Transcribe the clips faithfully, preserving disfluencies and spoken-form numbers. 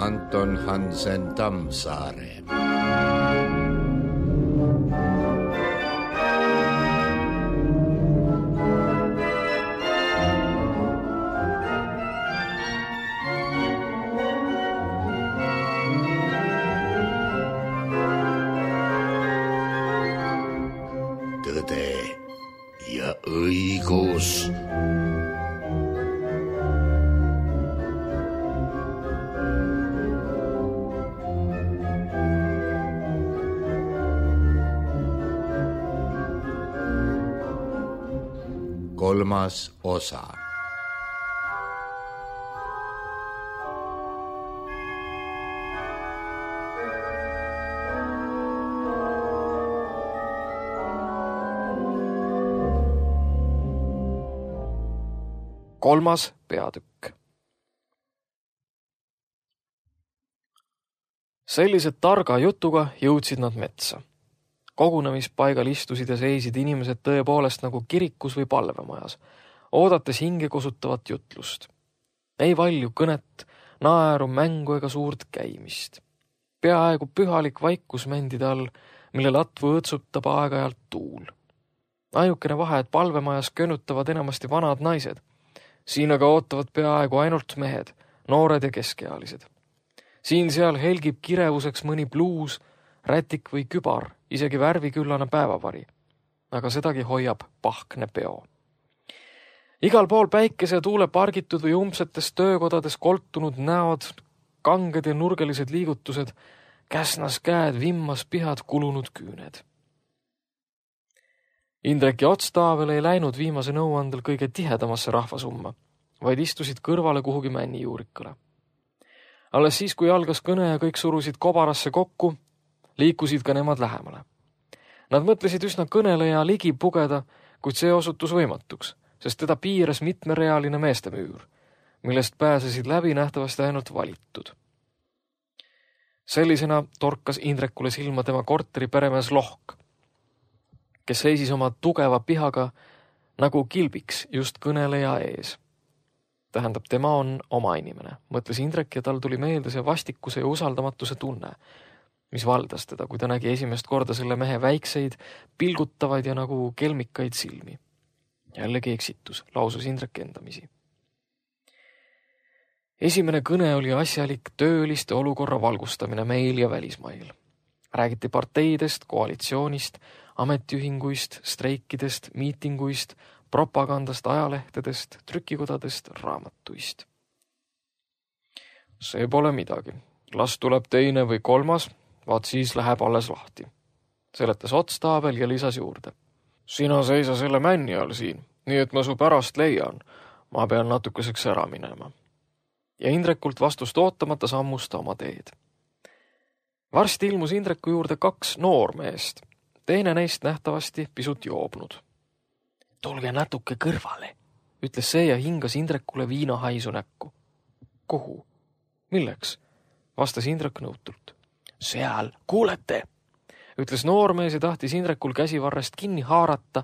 Anton Hansen Tammsaare. Tõde ja õigus. Kolmas osa. Kolmas peatükk. Sellise targa jutuga jõudsid nad metsa. Kogunemispaigal istusid ja seisid inimesed tõepoolest nagu kirikus või palvemajas, oodates hinge kosutavat jutlust. Ei valju kõnet, naeru, mängu ega suurt käimist. Peaaegu pühalik vaikus mändide all, mille latvu õtsutab aeg-ajalt tuul. Ainukene vahe, et palvemajas könutavad enamasti vanad naised. Siin aga ootavad peaaegu ainult mehed, noored ja keskealised. Siin-seal helgib kirevuseks mõni bluus, rätik või kübar, isegi värviküllane päevavari. Aga sedagi hoiab pahkne peo. Igal pool päikese ja tuule pargitud või umbsetes töökodades koltunud näod, kanged ja nurgelised liigutused, käsnas käed, vimmas pihad, kulunud küüned. Indrek ja Otstaavel ei läinud viimase nõuandel kõige tihedamasse rahvasumma, vaid istusid kõrvale kuhugi männi juurikale. Alles siis, kui algas kõne ja kõik surusid kobarasse kokku, liikusid ka nemad lähemale. Nad mõtlesid üsna kõneleja ligi pugeda, kuid see osutus võimatuks, sest teda piiras mitmerealine meestemüür, millest pääsesid läbi nähtavasti ainult valitud. Sellisena torkas Indrekule silma tema korteri peremees Lohk, kes seisis oma tugeva pihaga nagu kilbiks just kõneleja ees. Tähendab, tema on oma inimene, mõtles Indrek ja tal tuli meelde see vastikuse ja usaldamatuse tunne, mis valdas teda, kui ta nägi esimest korda selle mehe väikseid, pilgutavaid ja nagu kelmikaid silmi. Jällegi eksitus, lausus Indrek endamisi. Esimene kõne oli asjalik tööliste olukorra valgustamine meil ja välismail. Räägiti parteidest, koalitsioonist, ametiühinguist, streikidest, miitinguist, propagandast, ajalehtedest, trükikodadest, raamatuist. See pole midagi. Las tuleb teine või kolmas, vaat siis läheb alles lahti. Seletas Otstaabel ja lisas juurde. Sina seisa selle männi all siin, nii et ma su pärast leian. Ma pean natukeseks ära minema. Ja Indrekult vastust ootamata sammus ta oma teed. Varsti ilmus Indreku juurde kaks noormeest. Teine neist nähtavasti pisut joobnud. Tulge natuke kõrvale, ütles see ja hingas Indrekule viinahaisu näkku. Kuhu? Milleks? Vastas Indrek nõutult. Seal, kuulete, ütles noormees ja tahtis Indrekul käsivarrest kinni haarata,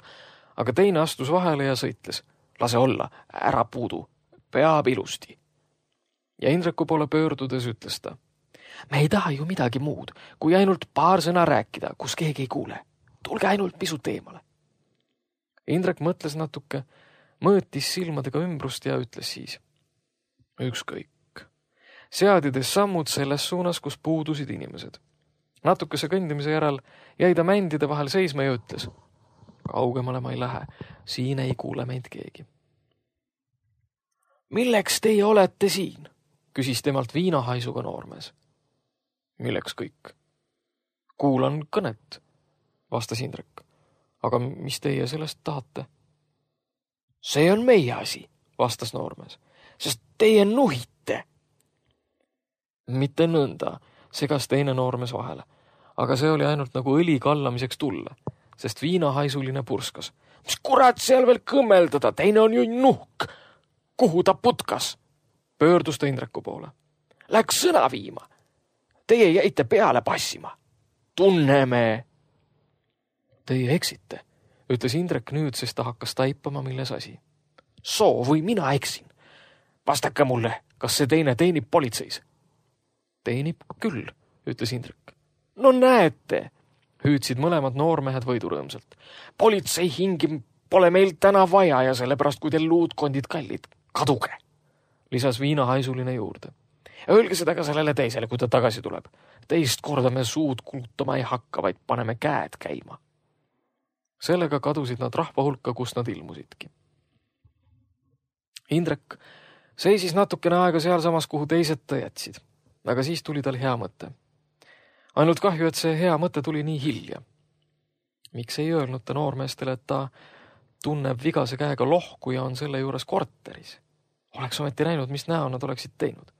aga teine astus vahele ja sõitles. Lase olla, ära puudu, peab ilusti. Ja Indreku poole pöördudes ütles ta. Me ei taha ju midagi muud, kui ainult paar sõna rääkida, kus keegi ei kuule. Tulge ainult pisut eemale. Indrek mõtles natuke, mõõtis silmadega ümbrust ja ütles siis. Ükskõik. Seadides sammud selles suunas, kus puudusid inimesed. Natukese kõndimise järel jäi ta mändide vahel seisma ja ütles. Kaugemale ma ei lähe, siin ei kuule meid keegi. Milleks teie olete siin? Küsis temalt viinahaisuga noormees. Milleks kõik? Kuulan kõnet, vastas Indrek. Aga mis teie sellest tahate? See on meie asi, vastas noormees, sest teie nuhite. Mitte nõnda, segas teine noormees vahele, aga see oli ainult nagu õli kallamiseks tulla, sest viinahaisuline purskas. Mis kurat seal veel kõmmeldada, teine on ju nuhk. Kuhu ta putkas? Pöördus ta Indreku poole. Läks sõna viima. Teie jäite peale passima. tunneme. Teie eksite, ütles Indrek nüüd, sest ta hakkas taipama, milles asi. Soo või mina eksin. Vastake mulle, kas see teine teenib politseis? Teenib küll, ütles Indrek. No näete, hüüdsid mõlemad noormehed võidurõõmsalt. Politsei hingi pole meil täna vaja ja sellepärast, kui teil luudkondid kallid, kaduge, lisas viinahaisuline juurde. Öelge seda ka sellele teisele, kui ta tagasi tuleb. Teist korda me suud kulutama ei hakka, vaid paneme käed käima. Sellega kadusid nad rahva hulka, kus nad ilmusidki. Indrek seisis natukene aega sealsamas, kuhu teised ta jätsid, aga siis tuli tal hea mõte. Ainult kahju, et see hea mõte tuli nii hilja. Miks ei öelnud ta noormeestele, et ta tunneb vigase käega lohku ja on selle juures korteris? Oleks ometi näinud, mis näo nad oleksid teinud.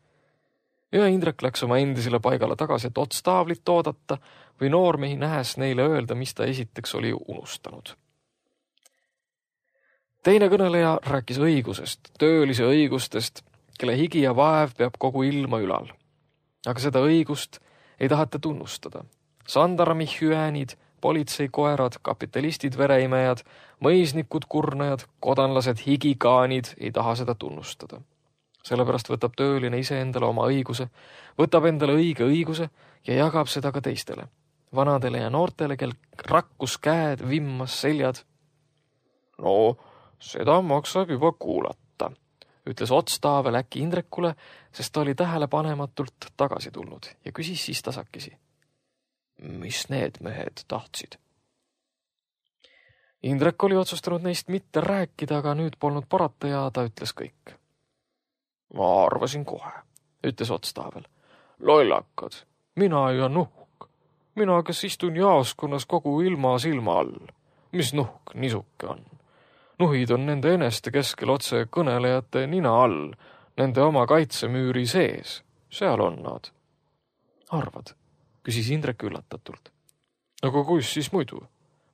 Ja Indrek läks oma endisele paigale tagasi, et otstaavlit oodata või noormehi nähes neile öelda, mis ta esiteks oli unustanud. Teine kõneleja rääkis õigusest, töölise õigustest, kelle higi ja vaev peab kogu ilma ülal. Aga seda õigust ei tahata tunnustada. Sandarmi hüäänid, politseikoerad, kapitalistid vereimejad, mõisnikud kurnajad, kodanlased higikaanid ei taha seda tunnustada. Sellepärast võtab tööline ise endale oma õiguse, võtab endale õige õiguse ja jagab seda ka teistele. Vanadele ja noortele, kel rakkus käed, vimmas seljad. No, seda maksab juba kuulata, ütles Otstaavel äkki Indrekule, sest ta oli tähelepanematult tagasi tulnud ja küsis siis tasakesi. Mis need mehed tahtsid? Indrek oli otsustanud neist mitte rääkida, aga nüüd polnud parata ja ta ütles kõik. Ma arvasin kohe, ütles Otstaavel. Lollakad, mina ja nuhk. Mina, kes istun jaoskonnas kogu ilma silma all. Mis nuhk nisuke on? Nuhid on nende eneste keskel otse kõnelejate nina all, nende oma kaitsemüüri sees. Seal on nad. Arvad, küsis Indrek üllatatult. Aga kus siis muidu,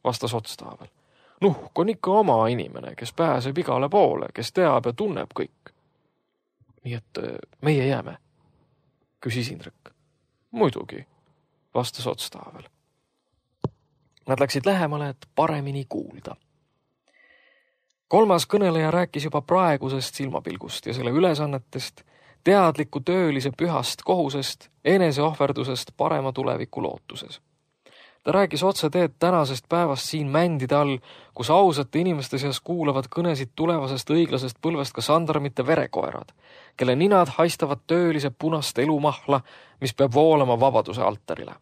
vastas Otstaavel. Nuhk on ikka oma inimene, kes pääseb igale poole, kes teab ja tunneb kõik. Nii et meie jääme, küsis Indrek. Muidugi, vastas Otstaavel. Nad läksid lähemale, et paremini kuulda. Kolmas kõneleja rääkis juba praegusest silmapilgust ja selle ülesannetest, teadliku töölise pühast kohusest, eneseohverdusest parema tuleviku lootuses. Ta rääkis otse teed tänasest päevast siin mändide all, kus ausate inimeste seas kuulavad kõnesid tulevasest õiglasest põlvest ka sandarmite verekoerad, kelle ninad haistavad töölise punast elumahla, mis peab voolama vabaduse altarile.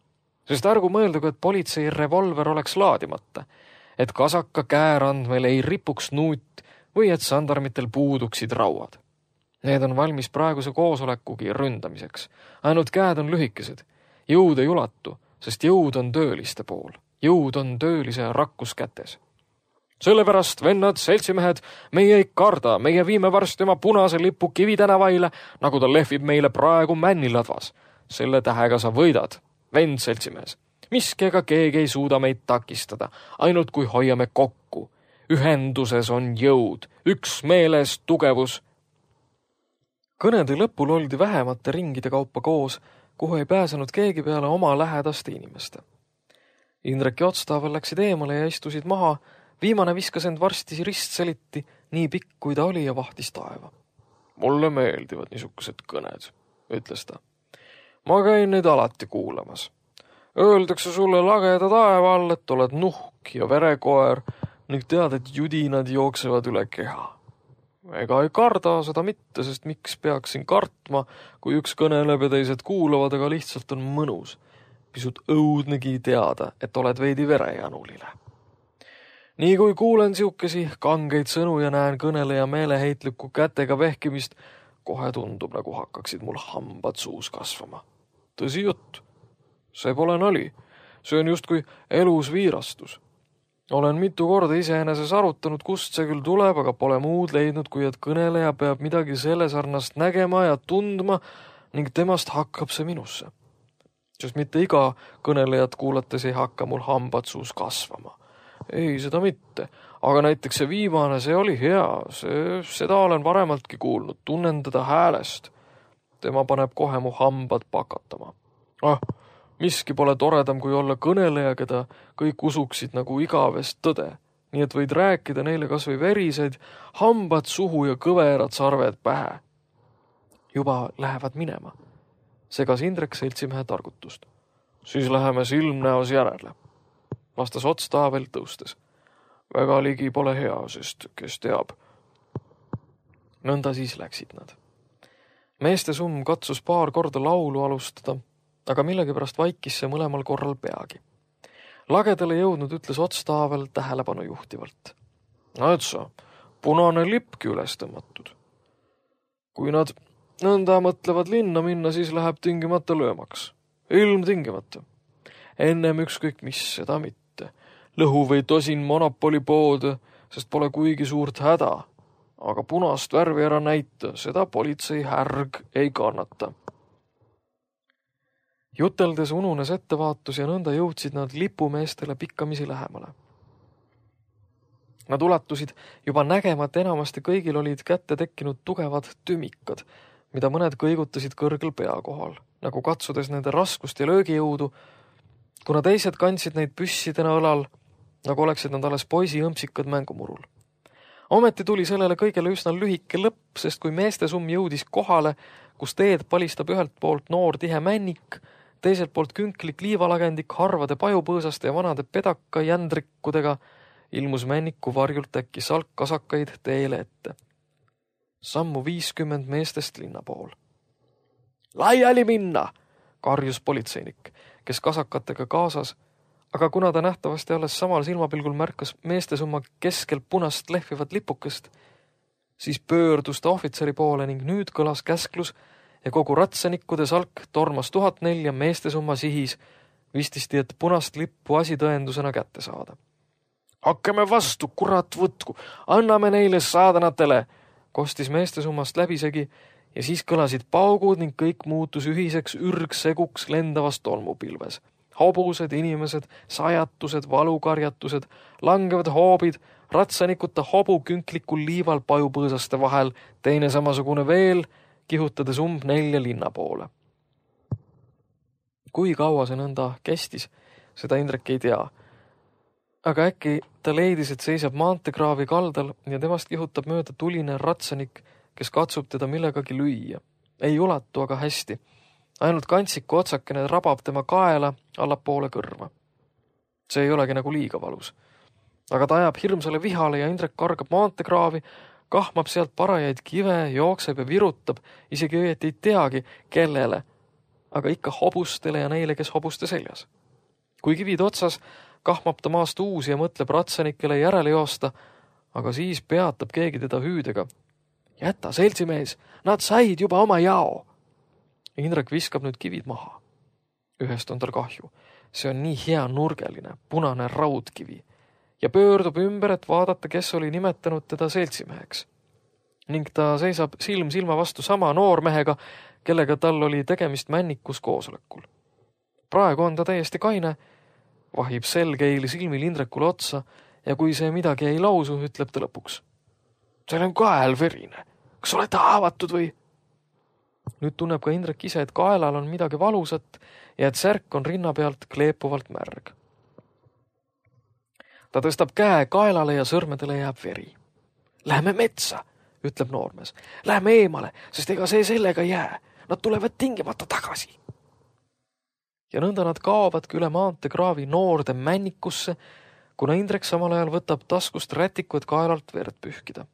Sest ärgu mõeldagu, et politsei revolver oleks laadimata, et kasaka käärandmel ei ripuks nuut või et sandarmitel puuduksid rauad. Need on valmis praeguse koosolekugi ründamiseks. Ainult käed on lühikesed. Jõud ei ulatu, sest jõud on tööliste pool. Jõud on töölise rakkus kätes. Sellepärast, vennad, seltsimehed, meie ei karda, meie viime varsti oma punase lipu Kivitänavaile, nagu ta lehvib meile praegu Männiladvas. Selle tähega sa võidad, vend seltsimees. Miski ega keegi ei suuda meid takistada, ainult kui hoiame kokku. Ühenduses on jõud, üksmeeles tugevus. Kõnede lõpul oldi vähemate ringide kaupa koos, kuhu ei pääsenud keegi peale oma lähedaste inimeste. Indrek ja Otstaavel läksid eemale ja istusid maha, viimane viskas end varsti ristseliti, nii pikk kui ta oli ja vahtis taeva. Mulle meeldivad niisugused kõned, ütles ta. Ma käin neid alati kuulamas. Öeldakse sulle lageda taeva all, et oled nuhk ja verekoer ning tead, et judinad jooksevad üle keha. Ega ei karda seda mitte, sest miks peaksin kartma, kui üks kõneleb ja teised kuulavad, aga lihtsalt on mõnus. Pisut õudnegi teada, et oled veidi verejanulile. Nii kui kuulen siukesi kangeid sõnu ja näen kõneleja meeleheitliku kätega vehkimist, kohe tundub, nagu hakkaksid mul hambad suus kasvama. Tõsi jutt. See pole nali. See on justkui elus viirastus. Olen mitu korda iseeneses arutanud, kust see küll tuleb, aga pole muud leidnud, kui et kõneleja peab midagi selle sarnast nägema ja tundma ning temast hakkab see minusse. Sest mitte iga kõnelejat kuulates ei hakka mul hambad suus kasvama. Ei, seda mitte. Aga näiteks see viimane, see oli hea. See, seda olen varemaltki kuulnud. Tunnen teda häälest. Tema paneb kohe mu hambad pakatama. Ah, Miski pole toredam, kui olla kõneleja, keda kõik usuksid nagu igavest tõde. Nii et võid rääkida neile kas või veriseid, hambad suhu ja kõverad sarved pähe. Juba lähevad minema. Segas Indrek seltsimehe targutust. Siis läheme silmnäos järele. Vastas Ots Taavel tõustes. Väga ligi pole hea, sest kes teab. Nõnda siis läksid nad. Meeste summ katsus paar korda laulu alustada, aga millegipärast vaikis see mõlemal korral peagi. Lagedale jõudnud ütles Ots Taavel tähelepanu juhtivalt. No et sa, punane lipki üles tõmmatud. Kui nad nõnda mõtlevad linna minna, siis läheb tingimata löömaks. Ilm tingimata. Ennem ükskõik mis, seda mitte. Lõhu või tosin monopolipoode, sest pole kuigi suurt häda. Aga punast värvi ära näita, seda politsei härg ei kannata. Juteldes ununes ettevaatus ja nõnda jõudsid nad lipumeestele pikkamisi lähemale. Nad ulatusid juba nägema, et enamasti kõigil olid kätte tekkinud tugevad tümikad, mida mõned kõigutasid kõrgel pea kohal, nagu katsudes nende raskust ja löögijõudu, kuna teised kandsid neid püssidena õlal, nagu oleksid nad alles poisi õmpsikad mängumurul. Ometi tuli sellele kõigele üsna lühike lõpp, sest kui meeste summ jõudis kohale, kus teed palistab ühelt poolt noor tihe männik, teiselt poolt künklik liivalagendik harvade pajupõõsaste ja vanade pedaka jändrikkudega, ilmus männiku varjult äkki salk kasakaid teele ette. Sammu viiskümmend meestest linna pool. Laiali minna, karjus politseinik, kes kasakatega kaasas, aga kuna ta nähtavasti alles samal silmapilgul märkas meeste summa keskel punast lehvivat lipukest, siis pöördus ta ohvitseri poole ning nüüd kõlas käsklus ja kogu ratsanikkude salk tormas tuhat nelja meeste summa sihis, vististi, et punast lippu asi tõendusena kätte saada. Hakkame vastu, kurat võtku, anname neile saadanatele, kostis meeste summast läbisegi ja siis kõlasid paugud ning kõik muutus ühiseks ürgseguks lendavas tolmupilves. Hobused, inimesed, sajatused, valukarjatused, langevad hoobid, ratsanikuta hobu künklikul liival pajupõõsaste vahel, teine samasugune veel, kihutades umb nelja linna poole. Kui kaua see nõnda kestis, seda Indrek ei tea. Aga äkki ta leidis, et seisab maantekraavi kaldal ja temast kihutab mööda tuline ratsanik, kes katsub teda millegagi lüüa. Ei ulatu aga hästi. Ainult kantsiku otsakene rabab tema kaela allapoole kõrva. See ei olegi nagu liiga valus. Aga ta ajab hirmsale vihale ja Indrek kargab maantekraavi, kahmab sealt parajaid kive, jookseb ja virutab, isegi õieti ei teagi, kellele, aga ikka hobustele ja neile, kes hobuste seljas. Kui kivid otsas, kahmab ta maast uusi ja mõtleb ratsanikele järele joosta, aga siis peatab keegi teda hüüdega. Jäta, seltsimees, nad said juba oma jao. Indrek viskab nüüd kivid maha. Ühest on tal kahju. See on nii hea nurgeline, punane raudkivi. Ja pöördub ümber, et vaadata, kes oli nimetanud teda seltsimeheks. Ning ta seisab silm silma vastu sama noormehega, kellega tal oli tegemist männikus koosolekul. Praegu on ta täiesti kaine, vahib selgeili silmil Indrekule otsa ja kui see midagi ei lausu, ütleb ta lõpuks. Seal on kael verine. Kas olete haavatud või? Nüüd tunneb ka Indrek ise, et kaelal on midagi valusat ja et särk on rinna pealt kleepuvalt märg. Ta tõstab käe kaelale ja sõrmedele jääb veri. Lähme metsa, ütleb noormees. Lähme eemale, sest ega see sellega jää. Nad tulevad tingimata tagasi. Ja nõnda nad kaovadki üle maantekraavi noorde männikusse, kuna Indrek samal ajal võtab taskust rätiku, et kaelalt verd pühkida.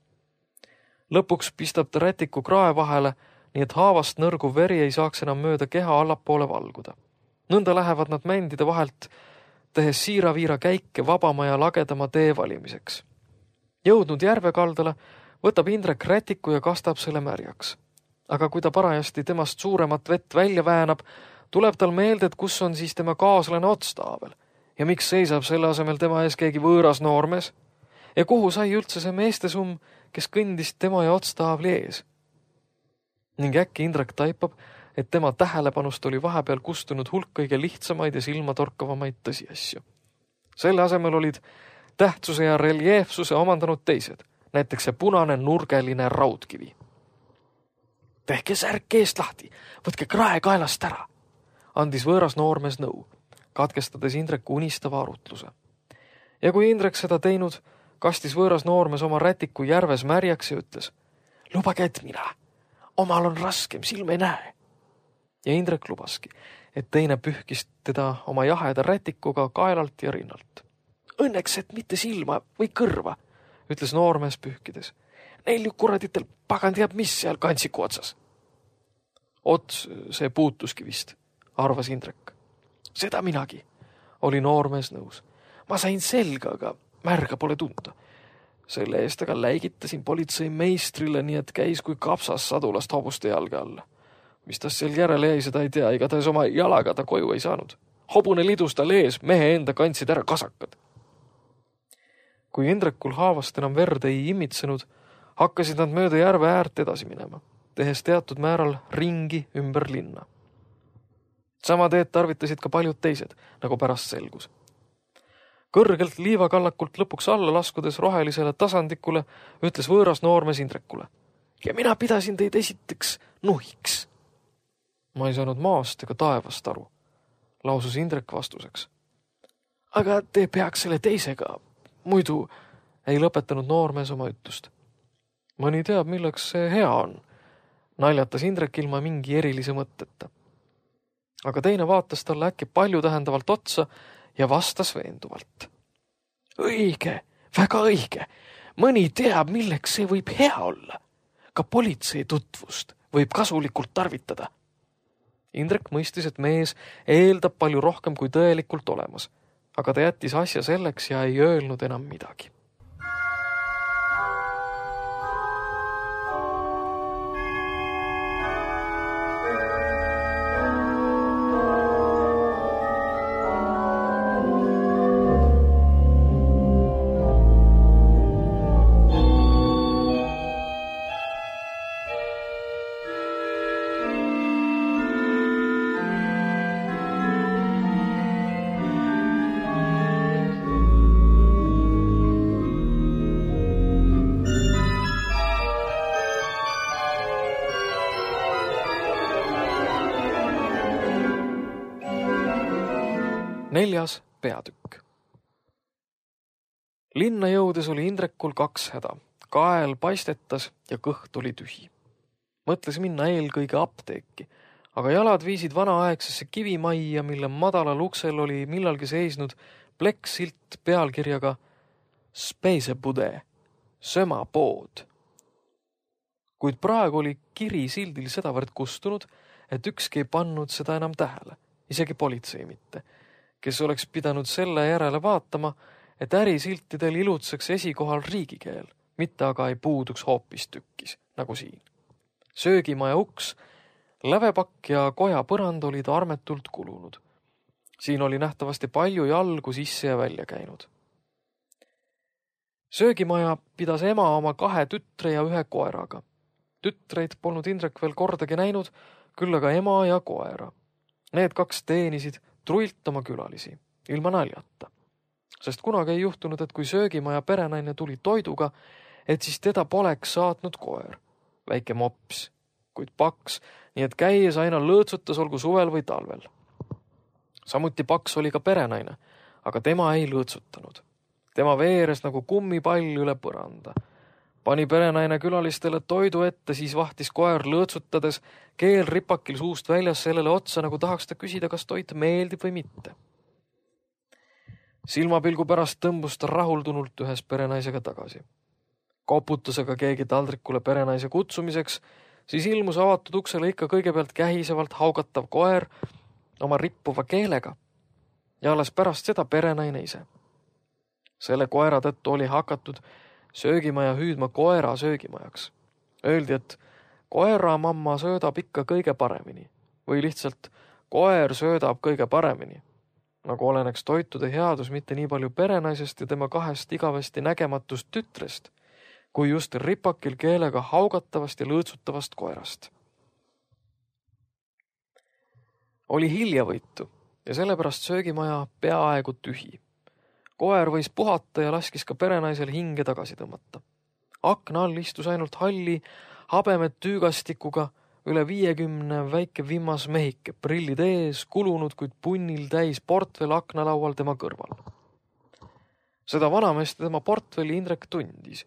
Lõpuks pistab ta rätiku krae vahele, nii et haavast nõrgu veri ei saaks enam mööda keha allapoole valguda. Nõnda lähevad nad mändide vahelt, tehes siira-viira käike vabama ja lagedama tee valimiseks. Jõudnud järve kaldale, võtab Indrek rätiku ja kastab selle märjaks. Aga kui ta parajasti temast suuremat vett välja väänab, tuleb tal meelde, et kus on siis tema kaaslane Ots Taavel ja miks seisab selle asemel tema ees keegi võõras noormees ja kuhu sai üldse see meeste summ, kes kõndis tema ja Ots Taavli ees. Ning äkki Indrek taipab, et tema tähelepanust oli vahepeal kustunud hulk kõige lihtsamaid ja silmatorkavamaid tõsiasju. Selle asemel olid tähtsuse ja reljeefsuse omandanud teised, näiteks see punane nurgeline raudkivi. Tehke särk eest lahti, võtke krae kaelast ära. andis võõras noormees nõu, katkestades Indreku unistava arutluse. Ja kui Indrek seda teinud, kastis võõras noormees oma rätiku järves märjaks ja ütles: lubage, et mina, omal on raskem, silm ei näe. Ja Indrek lubaski, et teine pühkis teda oma jaheda rätikuga kaelalt ja rinnalt. Õnneks, et mitte silma või kõrva, ütles noormees pühkides. Neil ju kuraditel pagand jääb mis seal kantsiku otsas. Ots see puutuski vist, arvas Indrek. Seda minagi, oli noormees nõus. Ma sain selga, aga märga pole tunda. Selle eest aga läigitasin politsei meistrile, nii et käis kui kapsas sadulast hobuste jalga alla. Mis tas seal järele jäi, seda ei tea, igatahes oma jalaga ta koju ei saanud. Hobune lidus tal ees, mehe enda kandsid ära kasakad. Kui Indrekul haavast enam verd ei imitsenud, hakkasid nad mööda järve äärt edasi minema, tehes teatud määral ringi ümber linna. Sama teed tarvitasid ka paljud teised, nagu pärast selgus. Kõrgelt liivakallakult lõpuks alla laskudes rohelisele tasandikule, ütles võõras noormees Indrekule. Ja mina pidasin teid esiteks nuhiks. Ma ei saanud maast ega taevast aru, lausus Indrek vastuseks. Aga te peaks selle teisega, muidu ei lõpetanud noormees oma ütlust. Mõni teab, milleks see hea on, naljatas Indrek ilma mingi erilise mõtteta. Aga teine vaatas talle äkki palju tähendavalt otsa ja vastas veenduvalt. Õige, väga õige. Mõni teab, milleks see võib hea olla. Ka politsei tutvust võib kasulikult tarvitada. Indrek mõistis, et mees eeldab palju rohkem kui tõelikult olemas, aga ta jättis asja selleks ja ei öelnud enam midagi. Neljas peatükk. Linna jõudes oli Indrekul kaks häda. Kael paistetas ja kõht oli tühi. Mõtles minna eelkõige apteeki, aga jalad viisid vanaaegsesse kivimajja, mille madalal uksel oli millalgi seisnud plekksilt pealkirjaga Speisebude, sömapood. Kuid praegu oli kiri sildil sedavõrd kustunud, et ükski ei pannud seda enam tähele, isegi politsei mitte, kes oleks pidanud selle järele vaatama, et ärisiltidel ilutseks esikohal riigikeel, mitte aga ei puuduks hoopis tükkis, nagu siin. Söögimaja uks, lävepakk ja koja põrand olid armetult kulunud. Siin oli nähtavasti palju jalgu sisse ja välja käinud. Söögimaja pidas ema oma kahe tütre ja ühe koeraga. Tütreid polnud Indrek veel kordagi näinud, küll aga ema ja koera. Need kaks teenisid truilt oma külalisi, ilma naljata. Sest kunagi ei juhtunud, et kui söögimaja perenaine tuli toiduga, et siis teda poleks saatnud koer. Väike mops, kuid paks, nii et käies aina lõõtsutas olgu suvel või talvel. Samuti paks oli ka perenaine, aga tema ei lõõtsutanud. Tema veeres nagu kummipall üle põranda. Pani perenaine külalistele toidu ette, siis vahtis koer lõõtsutades, keel ripakil suust väljas sellele otsa, nagu tahaks ta küsida, kas toit meeldib või mitte. Silmapilgu pärast tõmbus ta rahuldunult ühes perenaisega tagasi. Koputas aga keegi taldrikule perenaise kutsumiseks, siis ilmus avatud uksele ikka kõigepealt kähisevalt haugatav koer oma rippuva keelega ja alles pärast seda perenaine ise. Selle koera tõttu oli hakatud söögimaja hüüdma koera söögimajaks. Öeldi, et koera mamma söödab ikka kõige paremini või lihtsalt koer söödab kõige paremini, nagu oleneks toitude headus mitte nii palju perenaisest ja tema kahest igavesti nägematust tütrest, kui just ripakil keelega haugatavast ja lõõtsutavast koerast. Oli hiljavõitu ja sellepärast söögimaja peaaegu tühi. Koer võis puhata ja laskis ka perenaisel hinge tagasi tõmmata. Akna all istus ainult halli, habemet tüügastikuga üle viiekümne väike vimmas mehike, prillid ees, kulunud, kuid punnil täis portfell aknalaual tema kõrval. Seda vanameest tema portfelli Indrek tundis,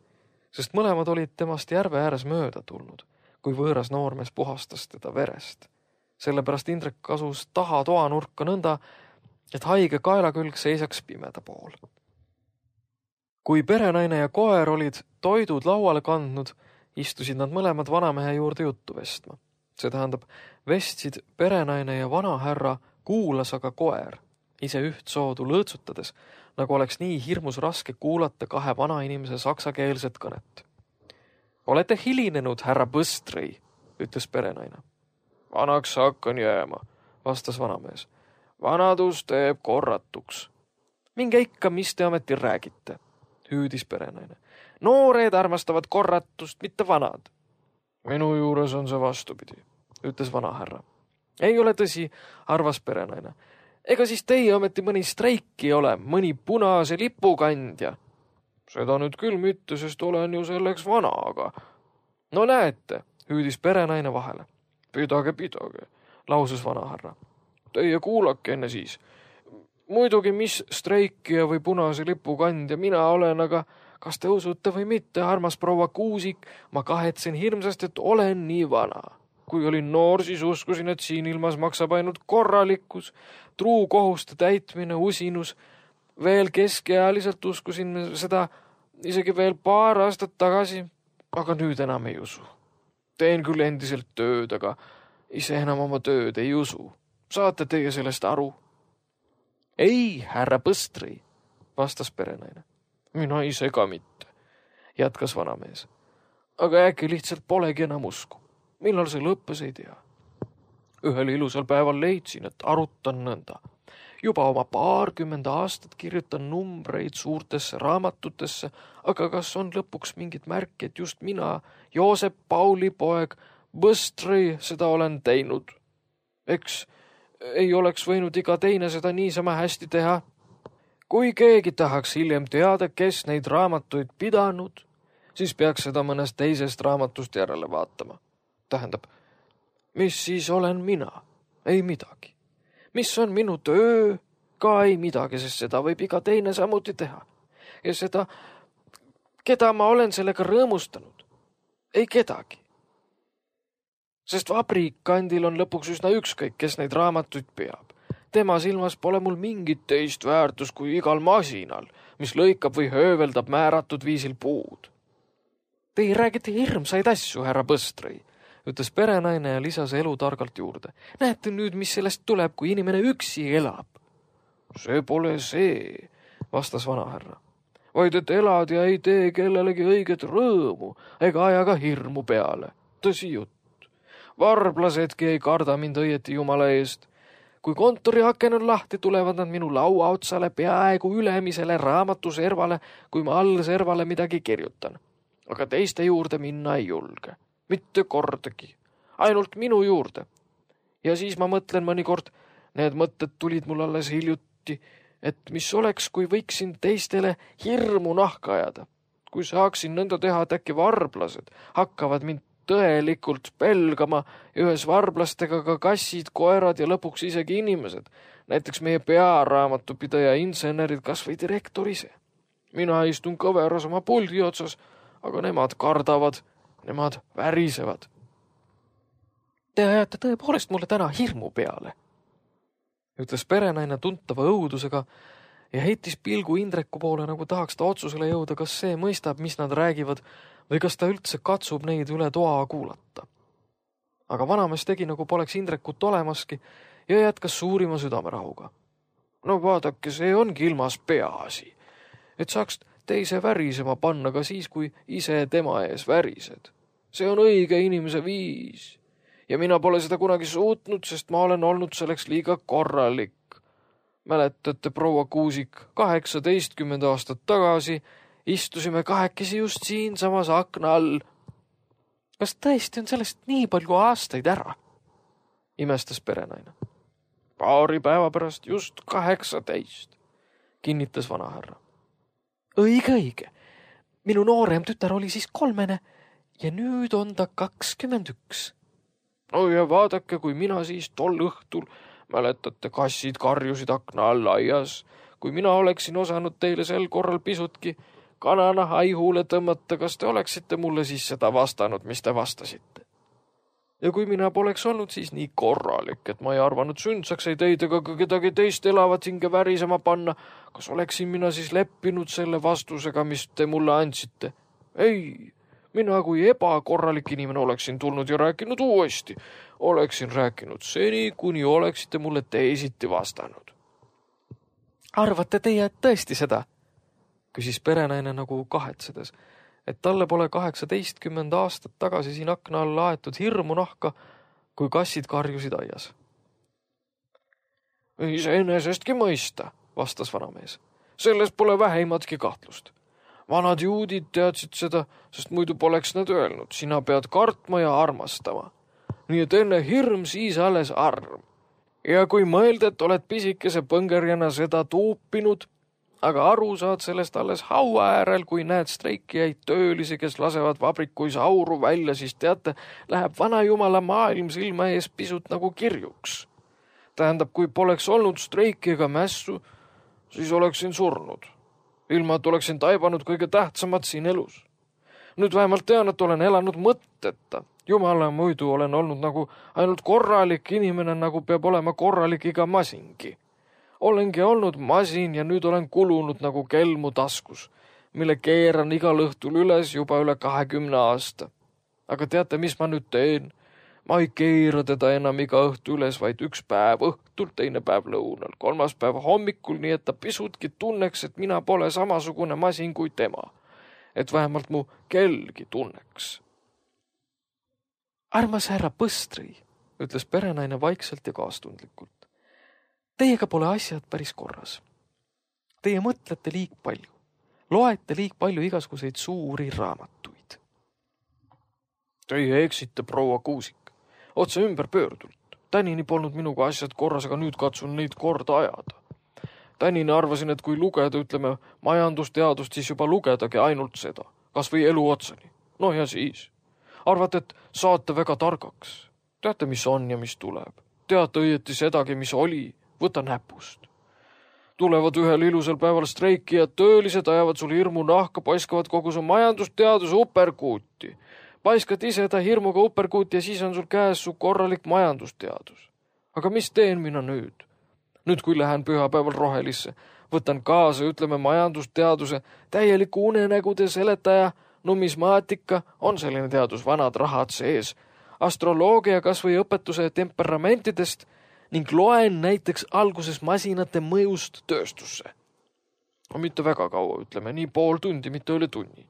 sest mõlemad olid temast järve ääres mööda tulnud, kui võõras noormees puhastas teda verest. Sellepärast Indrek kasus taha toanurka nõnda, et haige kaelakülg seisaks pimeda pool. Kui perenaine ja koer olid toidud lauale kandnud, istusid nad mõlemad vanamehe juurde juttu vestma. See tähendab, vestsid perenaine ja vanahärra, kuulas aga koer, ise üht soodu lõõtsutades, nagu oleks nii hirmus raske kuulata kahe vanainimese saksakeelset kõnet. Olete hilinenud, härra Põstrõi, ütles perenaine. Vanaks hakkan jääma, vastas vanamees. Vanadus teeb korratuks. Minge ikka, mis te ometi räägite, hüüdis perenaine. Noored armastavad korratust, mitte vanad. Minu juures on see vastupidi, ütles vanahärra. Ei ole tõsi, arvas perenaine. Ega siis teie ometi mõni streiki ole, mõni punase lipukandja. Seda nüüd küll mitte, sest olen ju selleks vana, aga... No näete, hüüdis perenaine vahele. Pidage, pidage, lausus vanahärra. Teie kuulake enne siis. Muidugi, mis streikija või punase lipukandja mina olen, aga kas te usute või mitte, armas proua Kuusik, ma kahetsen hirmsast, et olen nii vana. Kui olin noor, siis uskusin, et siin ilmas maksab ainult korralikkus, truu kohuste täitmine, usinus. Veel keskealiselt uskusin seda isegi veel paar aastat tagasi, aga nüüd enam ei usu. Teen küll endiselt tööd, aga ise enam oma tööd ei usu. Saate teie sellest aru? Ei, härra Põstrõi, vastas perenaine. Mina ise ka mitte, jätkas vanamees. Aga äkki lihtsalt polegi enam usku. Millal see lõppes, ei tea. Ühel ilusal päeval leidsin, et arutan nõnda. Juba oma paarkümmend aastat kirjutan numbreid suurtesse raamatutesse, aga kas on lõpuks mingit märki, et just mina, Joosep Pauli poeg, Põstrõi seda olen teinud. Eks ei oleks võinud iga teine seda niisama hästi teha. Kui keegi tahaks hiljem teada, kes neid raamatuid pidanud, siis peaks seda mõnest teisest raamatust järele vaatama. Tähendab, mis siis olen mina? Ei midagi. Mis on minu töö? Ka ei midagi, sest seda võib iga teine samuti teha. Ja seda, keda ma olen sellega rõõmustanud? Ei kedagi. Sest vabrikkandil on lõpuks üsna ükskõik, kes neid raamatuid peab. Tema silmas pole mul mingit teist väärtus kui igal masinal, mis lõikab või hööveldab määratud viisil puud. Teie räägite hirmsaid asju, härra Põstrõi, ütles perenaine ja lisas elu targalt juurde. Näete nüüd, mis sellest tuleb, kui inimene üksi elab? See pole see, vastas vanahärra. Vaid et elad ja ei tee kellelegi õiget rõõmu ega aja ka hirmu peale. Tõsi jutt. Varblasedki ei karda mind õieti jumala eest. Kui kontori aken on lahti, tulevad nad minu laua otsale peaaegu ülemisele raamatuservale, kui ma all servale midagi kirjutan. Aga teiste juurde minna ei julge. Mitte kordagi. Ainult minu juurde. Ja siis ma mõtlen mõnikord, need mõtted tulid mul alles hiljuti, et mis oleks, kui võiksin teistele hirmu nahka ajada. Kui saaksin nõnda teha, et äkki varblased hakkavad mind tõelikult pelgama ja ühes varblastega ka kassid, koerad ja lõpuks isegi inimesed. Näiteks meie pearaamatupidaja insenerid, kas või direktor ise. Mina istun kõveras oma puldi otsas, aga nemad kardavad, nemad värisevad. Te ajate tõepoolest mulle täna hirmu peale, ütles perenaine tuntava õudusega ja heitis pilgu Indreku poole, nagu tahaks ta otsusele jõuda, kas see mõistab, mis nad räägivad, või kas ta üldse katsub neid üle toa kuulata. Aga vanamees tegi, nagu poleks Indrekut olemaski ja jätkas suurima südamerahuga. No vaadake, see ongi ilmas peaasi, et saaks teise värisema panna ka siis, kui ise tema ees värised. See on õige inimese viis ja mina pole seda kunagi suutnud, sest ma olen olnud selleks liiga korralik. Mäletate, proua Kuusik, kaheksateistkümmend aastat tagasi istusime kahekesi just siin samas akna all. Kas tõesti on sellest nii palju aastaid ära? Imestas perenaine. Paari päeva pärast just kaheksateist, kinnitas vanahärra. Õige, õige. Minu noorem tütar oli siis kolmene ja nüüd on ta kakskümmend üks. no ja vaadake, kui mina siis tol õhtul, mäletate, kassid karjusid akna all aias, kui mina oleksin osanud teile sel korral pisutki kananaha aihuule tõmmata, kas te oleksite mulle siis seda vastanud, mis te vastasite? Ja kui mina poleks olnud siis nii korralik, et ma ei arvanud sündsaks ei teid ega ka kedagi teist elavat hinge värisema panna, kas oleksin mina siis leppinud selle vastusega, mis te mulle andsite? Ei, mina kui ebakorralik inimene oleksin tulnud ja rääkinud uuesti. Oleksin rääkinud seni, kuni oleksite mulle teisiti vastanud. Arvate teie tõesti seda? Küsis perenaine nagu kahetsedes, et talle pole kaheksateistkümmend aastat tagasi siin akna all laetud hirmu nahka, kui kassid karjusid aias. Iseenesestki mõista, vastas vanamees. Selles pole vähimatki kahtlust. Vanad juudid teadsid seda, sest muidu poleks nad öelnud. Sina pead kartma ja armastama. Nii et enne hirm, siis alles arm. Ja kui mõelda, et oled pisikese põngerjana seda tuupinud, aga aru saad sellest alles haua äärel, kui näed streikijaid töölisi, kes lasevad vabrikuis auru välja, siis teate, läheb vana jumala maailm silma ees pisut nagu kirjuks. Tähendab, kui poleks olnud streiki ega mässu, siis oleksin surnud. Ilma, et oleksin taibanud kõige tähtsamat siin elus. Nüüd vähemalt tean, et olen elanud mõtteta. Jumala muidu olen olnud nagu ainult korralik inimene, nagu peab olema korralik iga masingi. Olengi olnud masin ja nüüd olen kulunud nagu kelmu taskus, mille keeran igal õhtul üles juba üle kahekümne aasta. Aga teate, mis ma nüüd teen? Ma ei keera teda enam iga õhtu üles, vaid üks päev õhtul, teine päev lõunal, kolmas päev hommikul, nii et ta pisutki tunneks, et mina pole samasugune masin kui tema. Et vähemalt mu kellgi tunneks. Armas härra Põstri, ütles perenaine vaikselt ja kaastundlikult. Teiega pole asjad päris korras. Teie mõtlete liig palju. Loete liig palju igasuguseid suuri raamatuid. Teie eksite, proua Kuusik. Otse ümber pöördult. Tänini polnud minuga asjad korras, aga nüüd katsun neid korda ajada. Tänini arvasin, et kui lugeda, ütleme, majandusteadust, siis juba lugedagi ainult seda. Kas või elu otsani. No ja siis. Arvate, et saate väga targaks. Teate, mis on ja mis tuleb. Teate õieti sedagi, mis oli. Võta näpust. Tulevad ühel ilusal päeval streikijad, töölised ajavad sul hirmu nahka, paiskavad kogu su majandusteaduse uperkuuti. Paiskad ise ta hirmuga uperkuuti ja siis on sul käes su korralik majandusteadus. Aga mis teen mina nüüd? Nüüd, kui lähen pühapäeval Rohelisse, võtan kaasa, ütleme, majandusteaduse, täieliku unenägude seletaja, numismaatika, on selline teadus, vanad rahad sees, astroloogia kas või õpetuse temperamentidest ning loen näiteks alguses masinate mõjust tööstusse. No mitte väga kaua, ütleme, nii pool tundi, mitte üle tunni.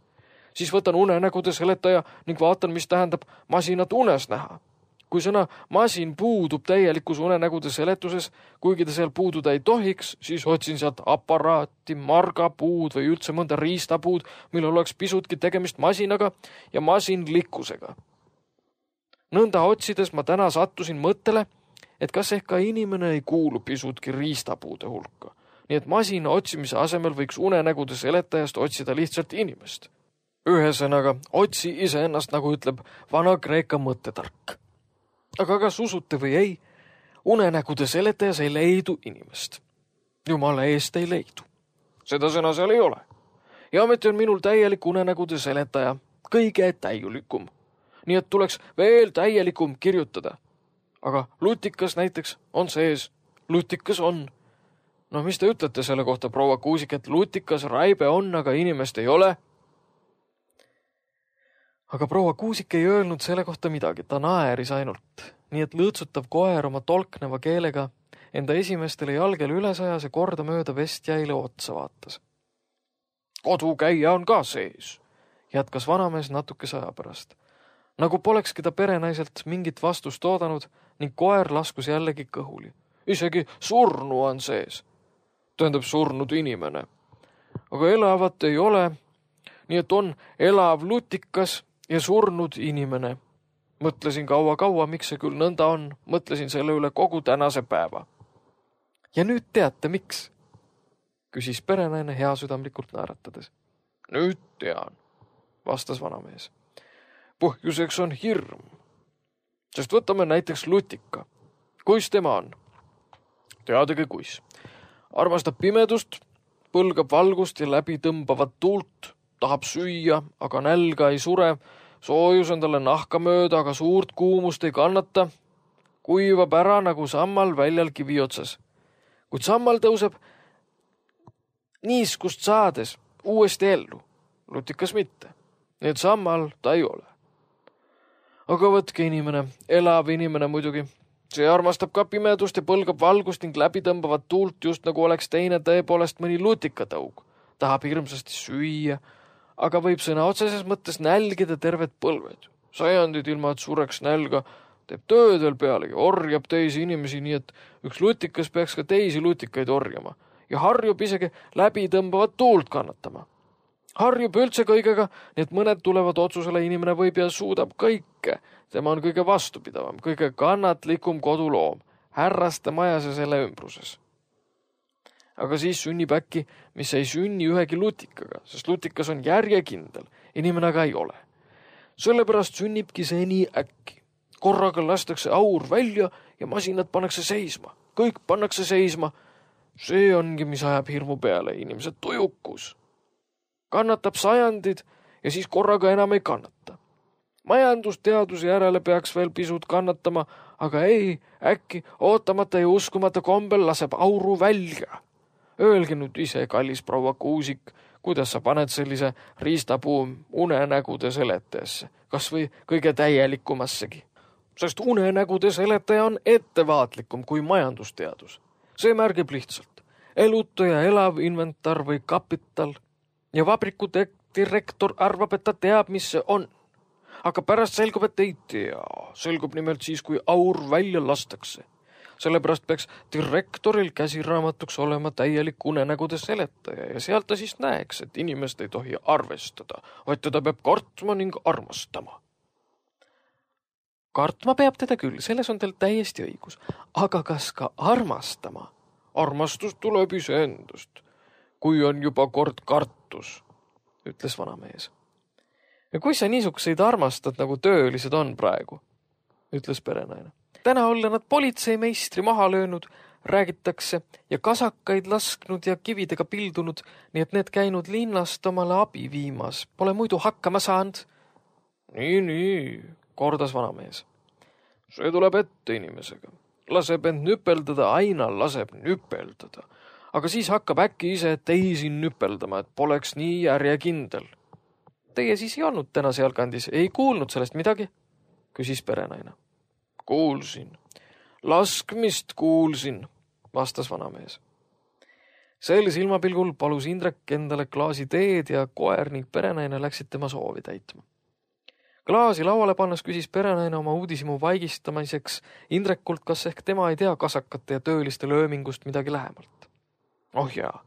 Siis võtan unenägude seletaja ning vaatan, mis tähendab masinat unes näha. Kui sõna masin puudub täielikus unenägude seletuses, kuigi ta seal puududa ei tohiks, siis otsin sealt aparaati, margapuud või üldse mõnda riistapuud, millel oleks pisutki tegemist masinaga ja masinlikkusega. Nõnda otsides ma täna sattusin mõttele, et kas ehk ka inimene ei kuulu pisutki riistapuude hulka. Nii et masina otsimise asemel võiks unenägude seletajast otsida lihtsalt inimest. Ühesõnaga, otsi iseennast, nagu ütleb vana Kreeka mõttetark. Aga kas usute või ei, unenägude seletajas ei leidu inimest. Jumala eest ei leidu. Seda sõna seal ei ole. Ja ometi on minul täielik unenägude seletaja, kõige täielikum. Nii et tuleks veel täielikum kirjutada. Aga lutikas näiteks on sees. Lutikas on. No mis te ütlete selle kohta, proua Kuusik, et lutikas raibe on, aga inimest ei ole? Aga proua Kuusik ei öelnud selle kohta midagi, ta naeris ainult. Nii et lõõtsutav koer oma tolkneva keelega enda esimestele jalgele üles ajas ja korda mööda vestjäile otsa vaatas. Kodukäija on ka sees, jätkas vanamees natukese aja pärast. Nagu polekski ta perenaiselt mingit vastust oodanud ning koer laskus jällegi kõhuli. Isegi surnu on sees. Tähendab surnud inimene. Aga elavat ei ole, nii et on elav lutikas ja surnud inimene. Mõtlesin kaua-kaua, miks see küll nõnda on. Mõtlesin selle üle kogu tänase päeva. Ja nüüd teate, miks? Küsis perenaine heasüdamlikult naeratades. Nüüd tean, vastas vanamees. Põhjuseks on hirm. Sest võtame näiteks lutika. Kuis tema on? Teadagi kuis. Armastab pimedust, põlgab valgust ja läbi tõmbavat tuult, tahab süüa, aga nälga ei sure, soojus on talle nahka mööda, aga suurt kuumust ei kannata, kuivab ära nagu sammal väljal kivi otsas. Kuid sammal tõuseb niiskust saades uuesti ellu, lutikas mitte. Nii et sammal ta ei ole. Aga võtke inimene, elav inimene muidugi. See armastab ka pimedust ja põlgab valgust ning läbi tõmbavat tuult, just nagu oleks teine tõepoolest mõni lutikatõug. Tahab hirmsasti süüa, aga võib sõna otseses mõttes nälgida terved põlved. Sajandid ilma, et sureks nälga, teeb tööd veel pealegi, orjab teisi inimesi, nii et üks lutikas peaks ka teisi lutikaid orjama ja harjub isegi läbi tõmbavat tuult kannatama. Harjub üldse kõigega, nii et mõned tulevad otsusele, inimene võib ja suudab kõike. Tema on kõige vastupidavam, kõige kannatlikum koduloom, härraste majas ja selle ümbruses. Aga siis sünnib äkki, mis ei sünni ühegi lutikaga, sest lutikas on järjekindel, inimene aga ei ole. Sellepärast sünnibki see nii äkki. Korraga lastakse aur välja ja masinad pannakse seisma. Kõik pannakse seisma. See ongi, mis ajab hirmu peale, inimesed tujukus. Kannatab sajandid ja siis korraga enam ei kannata. Majandusteaduse järele peaks veel pisut kannatama, aga ei, äkki ootamata ja uskumata kombel laseb auru välja. Öelge nüüd ise, kallis proua Kuusik, kuidas sa paned sellise riistapuu unenägude seletajasse, kas või kõige täielikumassegi. Sest unenägude seletaja on ettevaatlikum kui majandusteadus. See märgib lihtsalt elutu ja elav inventar või kapital ja vabriku direktor arvab, et ta teab, mis see on. Aga pärast selgub, et ei tea. Selgub nimelt siis, kui aur välja lastakse. Sellepärast peaks direktoril käsiraamatuks olema täielik unenägude seletaja ja sealt ta siis näeks, et inimest ei tohi arvestada, vaid teda peab kartma ning armastama. Kartma peab teda küll, selles on teil täiesti õigus. Aga kas ka armastama? Armastus tuleb iseendast, kui on juba kord kartus, ütles vanamees. Ja kui sa niisuguseid armastad, nagu töölised on praegu, ütles perenaine. Täna olla nad politseimeistri maha löönud, räägitakse ja kasakaid lasknud ja kividega pildunud, nii et need käinud linnast omale abi viimas. Pole muidu hakkama saanud. Nii, nii, kordas vanamees. See tuleb ette inimesega. Laseb end nüpeldada, aina laseb nüpeldada. Aga siis hakkab äkki ise teisi nüpeldama, et poleks nii järjekindel. Teie siis ei olnud täna sealkandis, ei kuulnud sellest midagi, küsis perenaine. Kuulsin. Laskmist kuulsin, vastas vanamees. Sel silmapilgul palus Indrek endale klaasi teed ja koer ning perenaine läksid tema soovi täitma. Klaasi lauale pannes küsis perenaine oma uudishimu vaigistamiseks Indrekult, kas ehk tema ei tea kasakate ja tööliste löömingust midagi lähemalt. Oh jaa,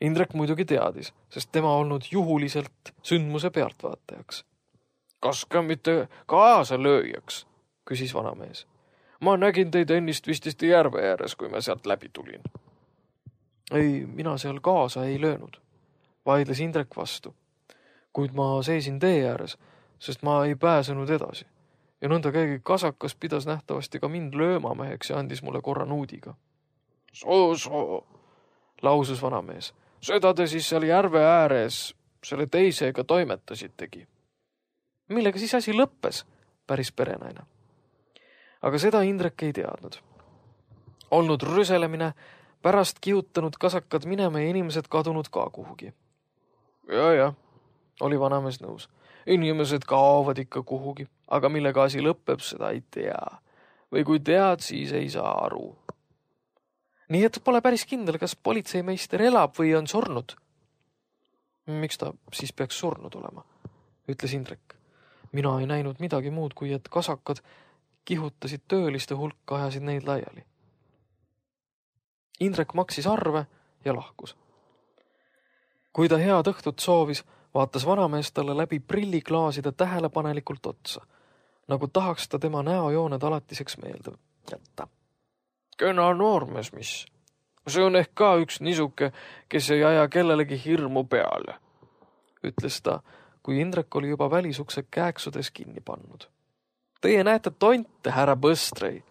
Indrek muidugi teadis, sest tema olnud juhuliselt sündmuse pealtvaatajaks. Kas ka mitte kaasa lööjaks, küsis vanamees. Ma nägin teid ennist vististi järve ääres, kui ma sealt läbi tulin. Ei, mina seal kaasa ei löönud, vaidles Indrek vastu. Kuid ma seisin tee ääres, sest ma ei pääsenud edasi. Ja nõnda keegi kasakas pidas nähtavasti ka mind löömameheks ja andis mulle korra nuudiga. Soo, soo, lausus vanamees. Seda te siis seal järve ääres selle teisega toimetasitegi. Millega siis asi lõppes, päris perenaine. Aga seda Indrek ei teadnud. Olnud rüselemine, pärast kihutanud kasakad minema ja inimesed kadunud ka kuhugi. Ja, ja, oli vanamees nõus. Inimesed kaovad ikka kuhugi, aga millega asi lõpeb, seda ei tea. Või kui tead, siis ei saa aru. Nii et pole päris kindel, kas politseimeister elab või on surnud. Miks ta siis peaks surnud olema, ütles Indrek. Mina ei näinud midagi muud, kui et kasakad kihutasid tööliste hulka, ajasid neid laiali. Indrek maksis arve ja lahkus. Kui ta head õhtut soovis, vaatas vanamees talle läbi prilliklaaside tähelepanelikult otsa, nagu tahaks ta tema näojooned alatiseks meelde jätta. Kena noormees, mis? See on ehk ka üks nisuke, kes ei aja kellelegi hirmu peale, ütles ta, kui Indrek oli juba välisukse kääksudes kinni pannud. Teie näete tonte, härra Põstrei,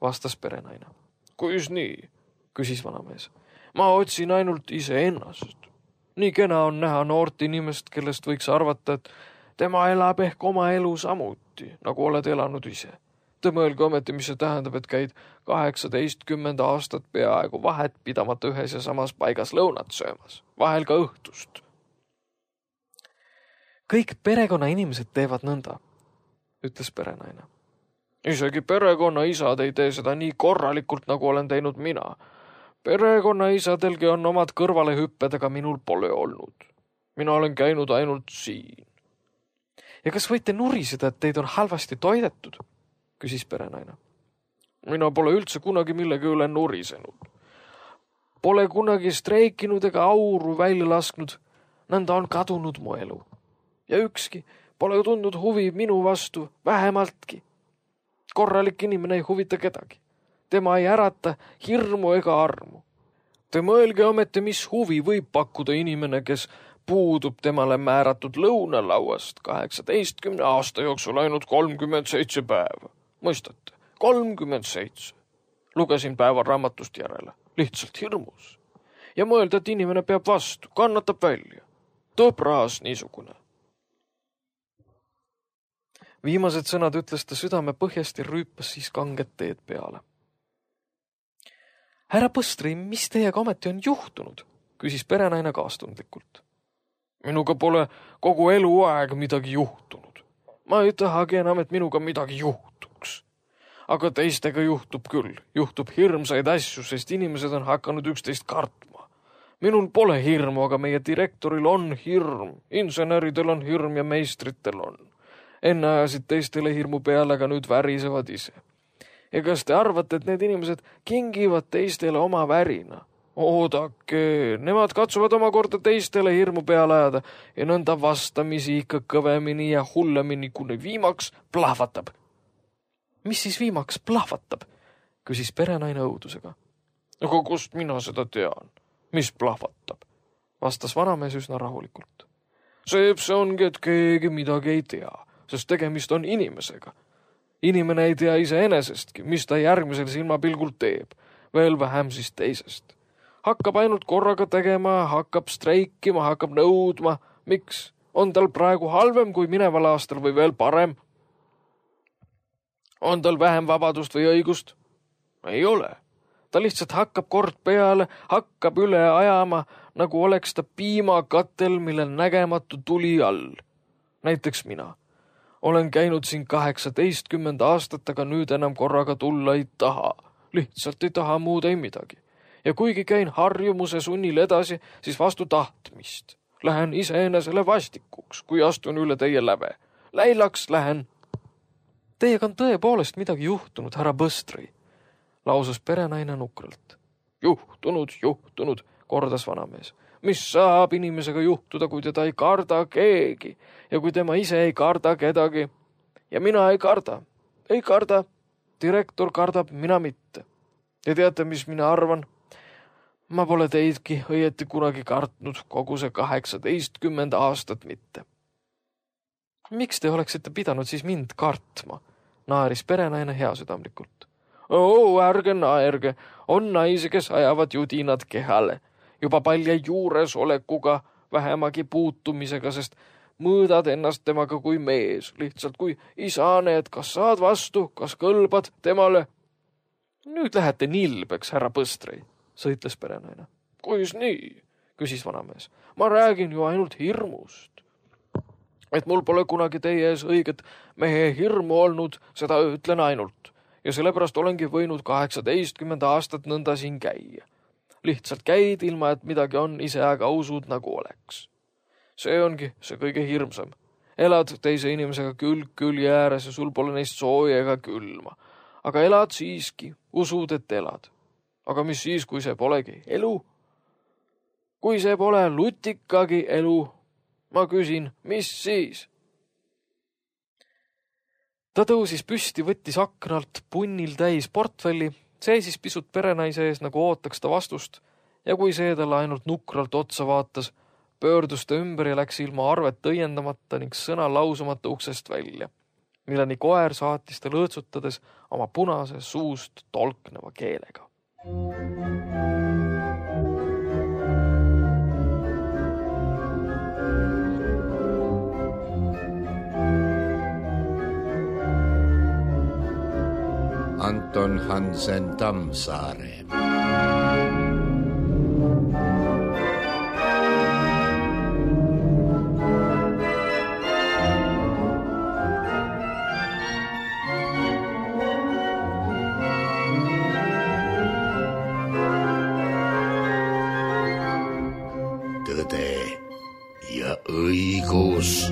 vastas perenaine. Kuis nii, küsis vanamees. Ma otsin ainult iseennast. Nii kena on näha noort inimest, kellest võiks arvata, et tema elab ehk oma elu samuti, nagu oled elanud ise. Te mõelge ometi, mis see tähendab, et käid kaheksateistkümmend aastat peaaegu vahet pidamata ühes ja samas paigas lõunat söömas, vahel ka õhtust. Kõik perekonna inimesed teevad nõnda, ütles perenaine. Isegi perekonna isad ei tee seda nii korralikult, nagu olen teinud mina. Perekonna isadelgi on omad kõrvalehüpped, aga minul pole olnud. Mina olen käinud ainult siin. Ja kas võite nuriseda, et teid on halvasti toidetud? Küsis perenaine. Mina pole üldse kunagi millegi üle nurisenud. Pole kunagi streikinud ega auru välja lasknud. Nõnda on kadunud mu elu. Ja ükski pole tundnud huvi minu vastu vähemaltki. Korralik inimene ei huvita kedagi. Tema ei ärata hirmu ega armu. Te mõelge ometi, mis huvi võib pakkuda inimene, kes puudub temale määratud lõunalauast kaheksateistkümne aasta jooksul ainult kolmkümmend seitse päeva. Mõistate, kolmkümmend seitse. Lugesin päeva raamatust järele, lihtsalt hirmus. Ja mõelda, et inimene peab vastu, kannatab välja. Tõbras niisugune. Viimased sõnad ütles ta südame põhjast ja rüüpas siis kanget teed peale. Härra Põstrei, mis teiega ometi on juhtunud? Küsis perenaine kaastundlikult. Minuga pole kogu eluaeg midagi juhtunud. Ma ei tahagi enam, et minuga midagi juhtuks. Aga teistega juhtub küll. Juhtub hirmsaid asju, sest inimesed on hakanud üksteist kartma. Minul pole hirmu, aga meie direktoril on hirm. Inseneridel on hirm ja meistritel on. Enne ajasid teistele hirmu peale, aga nüüd värisevad ise. Ja kas te arvate, et need inimesed kingivad teistele oma värina? Oodake, nemad katsuvad omakorda teistele hirmu peale ajada ja nõnda vastamisi ikka kõvemini ja hullemini, kuni viimaks plahvatab. Mis siis viimaks plahvatab? Küsis perenaine õudusega. Aga kust mina seda tean? Mis plahvatab? Vastas vanamees üsna rahulikult. See, see ongi, et keegi midagi ei tea, sest tegemist on inimesega. Inimene ei tea iseenesestki, mis ta järgmisel silmapilgul teeb, veel vähem siis teisest. Hakkab ainult korraga tegema, hakkab streikima, hakkab nõudma. Miks? On tal praegu halvem kui mineval aastal või veel parem? On tal vähem vabadust või õigust? Ei ole. Ta lihtsalt hakkab kord peale, hakkab üle ajama, nagu oleks ta piimakatel, millel nägematu tuli all. Näiteks mina. Olen käinud siin kaheksateistkümmend aastat, aga nüüd enam korraga tulla ei taha. Lihtsalt ei taha muud ei midagi. Ja kuigi käin harjumuse sunnil edasi, siis vastu tahtmist. Lähen iseenesele vastikuks, kui astun üle teie läve. Läilaks lähen. Teiega on tõepoolest midagi juhtunud, härra Põstrei, lausus perenaine nukralt. Juhtunud, juhtunud, kordas vanamees. Mis saab inimesega juhtuda, kui teda ei karda keegi ja kui tema ise ei karda kedagi. Ja mina ei karda. Ei karda. Direktor kardab, mina mitte. Ja teate, mis mina arvan? Ma pole teidki õieti kunagi kartnud kogu see kaheksateistkümmend aastat mitte. Miks te oleksite pidanud siis mind kartma? Naaris perenaine heasüdamlikult. Oo, ärge naerge. On naisi, kes ajavad judinad kehale. Juba palja juures olekuga, vähemagi puutumisega, sest mõõdad ennast temaga kui mees, lihtsalt kui isane, et kas saad vastu, kas kõlbad temale. Nüüd lähete nilbeks, härra Põstrei, sõitles perenaine. Kuis nii, küsis vanamees. Ma räägin ju ainult hirmust. Et mul pole kunagi teie ees õiget mehe hirmu olnud, seda ütlen ainult. Ja sellepärast olengi võinud kaheksateistkümmend aastat nõnda siin käia. Lihtsalt käid ilma, et midagi on, ise aga usud nagu oleks. See ongi see kõige hirmsam. Elad teise inimesega külg külje ääres ja sul pole neist sooja ega külma. Aga elad siiski, usud, et elad. Aga mis siis, kui see polegi elu? Kui see pole lutikagi elu, ma küsin, mis siis? Ta tõusis püsti, võttis aknalt punnil täis portfelli, seisis pisut perenaise ees, nagu ootaks ta vastust, ja kui see talle ainult nukralt otsa vaatas, pöördus ta ümber ja läks ilma arvet õiendamata ning sõna lausumata uksest välja. milleni koer saatis ta lõõtsutades oma punase suust tolkneva keelega. Anton Hansen Tammsaare. Tõde ja õigus.